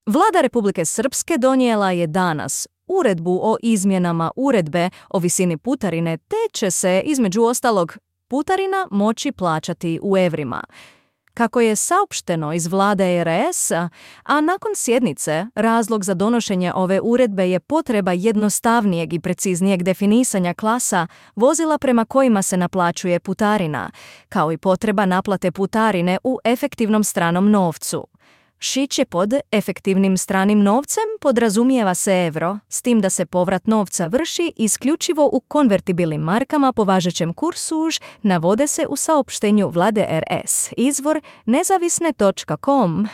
Vlada Republike Srpske donijela je danas uredbu o izmjenama uredbe o visini putarine, te će se, između ostalog, putarina moći plaćati u evrima. Kako je saopšteno iz vlade RS, a nakon sjednice, razlog za donošenje ove uredbe je potreba jednostavnijeg i preciznijeg definisanja klasa vozila prema kojima se naplaćuje putarina, kao i potreba naplate putarine u efektivnom stranom novcu. Šiće pod efektivnim stranim novcem podrazumijeva se euro, s tim da se povrat novca vrši isključivo u konvertibilnim markama po važećem kursu, navode se u saopštenju vlade RS. Izvor nezavisne.com.